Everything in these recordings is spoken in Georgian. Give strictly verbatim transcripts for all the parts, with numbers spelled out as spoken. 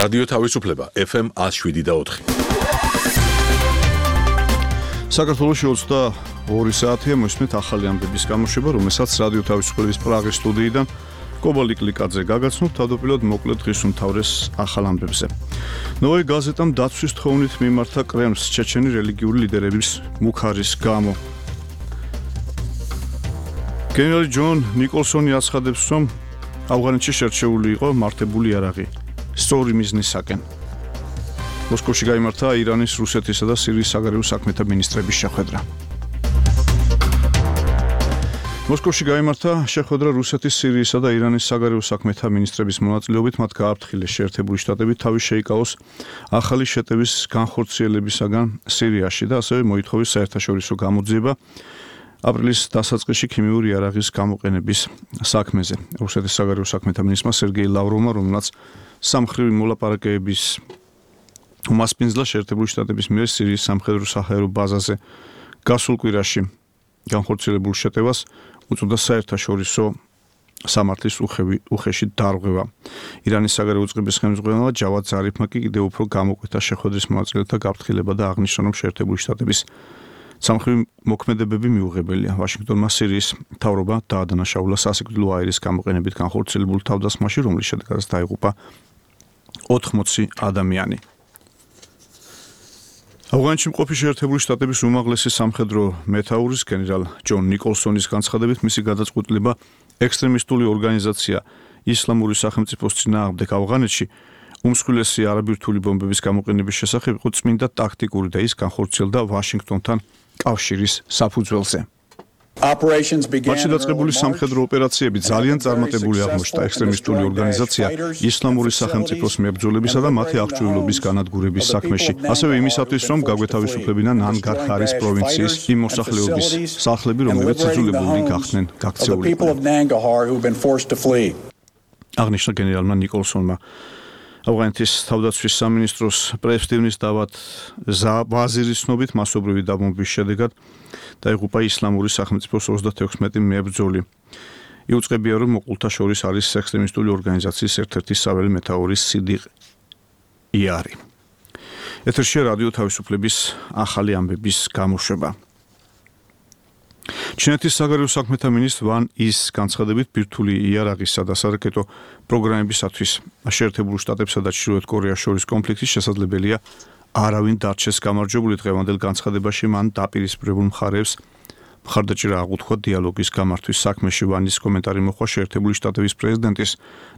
რადიო თავისუფლება ეფ ემ one oh seven point four. საქართველოში ოცდაორი საათია მოსმით ახალი ამბების გამოშვება, რომელსაც რადიო თავისუფლების პრაღის სტუდიიდან კობა ლიკლიკაძე გაგაცნობთ. თავდაპირველად მოკლედ დღის უმთავრეს ახალ ამბებზე. ნოვოი გაზეტამ დაცვის თხოვნით მიმართა კრემლს ჩეჩენი რელიგიური ლიდერების მუქარის გამო. გენერალი ჯონ ნიკოლსონი აცხადებს, რომ ავღანეთში შერჩეული იყო მართებული იარაღი სწორი მიზნისაკენ. მოსკოვში გაიმართა ირანის, რუსეთისა და სირიის საგარეო საქმეთა მინისტრების შეხვედრა. მოსკოვში გაიმართა შეხვედრა რუსეთის, სირიისა და ირანის საგარეო საქმეთა მინისტრების მონაწილეობით. მათ გააფრთხილეს შეერთებული შტატები თავის შეიკავოს ახალი შეტევის განხორციელებისაგან სირიაში და ასევე მოითხოვეს საერთაშორისო გამოძიება აპრილის დასაწყისში ქიმიური იარაღის გამოყენების საქმეზე. რუსეთის საგარეო საქმეთა მინისტრმა სერგეი ლავროვმა, რომელმაც სამხრივი მოლაპარაკებების უმასპინძლა შეერთებული შტატების მიერ სირიის სამხედრო საჰაერო ბაზაზე გასულ კვირაში განხორციელებულ შეტევას უწოდა საერთაშორისო სამართლის უხევი უხეში დარღვევა. ირანის საგარეო უწყების ხელმძღვანელმა ჯავად ზარიფმა კი კიდევ უფრო გამოკვეთა შეხვედრის მონაწილეთა გაფრთხილება და აღნიშნა, რომ შეერთებული შტატების სამხრივი მოქმედებები მიუღებელია. ვაშინგტონმა სირიის მთავრობა დაადანაშაულა სასიკვდილო აირის გამოყენებით განხორციელებულ თავდასხმაში, რომლის შედეგადაც დაიღუპა ოთხმოცი ადამიანი. ავღანეთში მყოფი შეერთებული შტატების უმაღლესი სამხედრო მეთაურის გენერალ ჯონ ნიკოლსონის განცხადებით, მისი გადაწყვეტილება ექსტრემისტული ორგანიზაცია ისლამური სახელმწიფოს წინააღმდეგ ავღანეთში უმსხვილესი არაბირთული ბომბების გამოყენების შესახებ იყო წმინდა ტაქტიკური და ის განხორციელდა ვაშინგტონთან კავშირის საფუძველზე. მათში დაწყებული სამხედრო ოპერაციები ძალიან წარმატებული აღმოჩნდა ექსტრემისტული ორგანიზაცია ისლამური სახელმწიფოს მებრძოლებისა და მათი აღჭურვილობის განადგურების საქმეში. ასევე იმისათვის, რომ გაგვეთავისუფლებინა ნანგარჰარის პროვინციის იმ მოსახლეობის სახლები, რომლებიც იძულებულნი გახდნენ გაქცეულიყო. აღნიშნა გენერალმა ნიკოლსონმა. ავღანეთის თავდაცვის სამინისტროს პრესტივნის დავად ვაზირის ცნობით მასობრივი დაბომბვის შედეგად დაიღუპა ისლამური სახელმწიფოს ოცდათექვსმეტი მებრძოლი. იუწყებია, რომ მოყოლთა შორის არის ექსტრემისტული ორგანიზაციის ერთ-ერთი საველე მეთაური სიდიყ იარი. ეთერშია რადიო თავისუფლების ახალი ამბების გამოშვება. ჩინეთის საგარეო საქმეთა მინისტრ ვან ის განცხადებით, ბირთვული იარაღისა და სარაკეტო პროგრამებისათვის შეერთებულ შტატებსა და ჩრდილოეთ კორეას შორის კონფლიქტის შესაძლებელია არავინ დარჩეს გამარჯვებული. დღევანდელ განცხადებაში მან დაპირისპირებულ მხარეებს მხარდაჭერა აღუთქვა დიალოგის გამართვის საქმეში. ვანის კომენტარი მოხდა შეერთებული შტატების პრეზიდენტის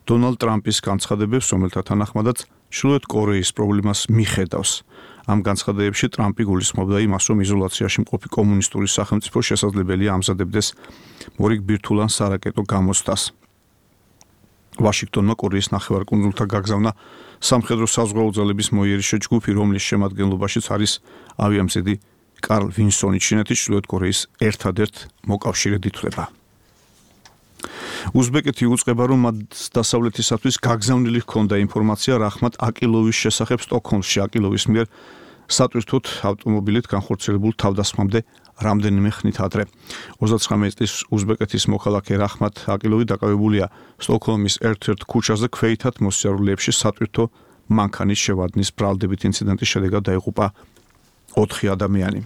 დონალდ ტრამპის განცხადებებს, რომელთა თანახმადაც ჩრდილოეთ კორეის პრობლემას მიხედავს. ამ განცხადებებში ტრამპი გულისხმობდა იმას, რომ იზოლაციაში მყოფი კომუნისტური სახელმწიფო შესაძლებელია ამზადებდეს მორიგ ბირთვულან სარაკეტო გამოცდას. ვაშინგტონმა კორეის ნახევარკუნძულთან გაგზავნა სამხედრო საზღვაო ძალების მოიერიშე ჯგუფი, რომლის შემადგენლობაშიც არის ავიამზედი კარლ ვინსონი. ჩინეთის ჩრდილოეთ კორეის ერთადერთ მოკავშირედ ითვლება. უზბეკეთი უწყება, რომ მათ დასავლეთისათვის გაგზავნილი ჰქონდა ინფორმაცია რახმატ აკილოვის შესახებ სტოკჰოლმში. აკილოვის მიერ სატვირთოდ ავტომობილით განხორციელებულ თავდასხმამდე რამდენიმე ხნით ადრე. ოცდაცხრამეტი წლის უზბეკეთის მოქალაქე რახმატ აკილოვი დაკავებულია სტოკჰოლმის ერთ-ერთ ქუჩაზე ქვეითად მოსიარულეებში სატვირთო მანქანის შევადნის ბრალდებით. ინციდენტის შედეგად დაიღუპა ოთხი ადამიანი.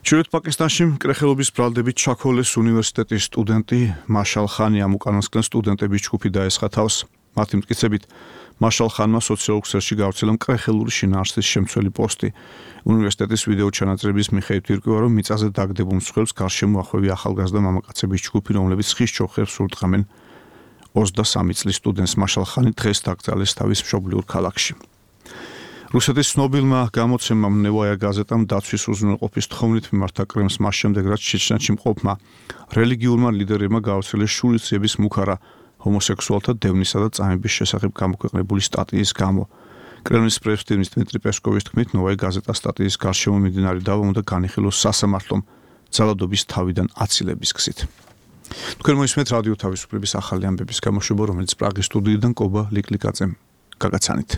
ჩრდილოეთ პაკისტანში მკრეხელობის ბრალდებით ჩაქოლეს უნივერსიტეტის სტუდენტი მაშალ ხანი ამ უკანასკნელ სტუდენტების ჯგუფი დაესხა თავს. მათი მტკიცებით, მაშალ ხანმა სოციალურ ქსელში გავრცელა მკრეხელური შინაარსის შემცველი პოსტი. უნივერსიტეტის ვიდეო ჩანაწერების მიხედვით ირკვევა, რომ მიწაზე დაგდებულ მსხვერპლს გარშემო ახვევი ახალგაზრდა მამაკაცების ჯგუფი, რომლებიც ხის ჩოხებს ურტყამენ. ოცდასამი წლის სტუდენტს მაშალ ხანი დღეს დაკრძალეს თავის მშობლიურ ქალაქში. რუსეთის ცნობილმა გამოცემამ ნევაია გაზეტამ დაცვის უზრუნველყოფის თხოვნით მიმართა კრემლს მას შემდეგ, რაც ჩეჩნეთში მყოფმა რელიგიურმა ლიდერებმა გაავრცელეს შურისძიების მუქარა ჰომოსექსუალთა დევნისა და წამების შესახებ გამოქვეყნებული სტატიის გამო. კრემლის პრესტივნის დმიტრი პესკოვის თქმით, ნოვაია გაზეტა სტატიის გარშემო მიმდინარე დავა უნდა განიხილოს სასამართლომ ძალადობის თავიდან აცილების გზით. თქვენ მოისმენთ რადიო თავისუფლების ახალი ამბების გამოშვება, რომელიც პრაღის სტუდიიდან კობა ლიკლიკაძემ გაგაცანით.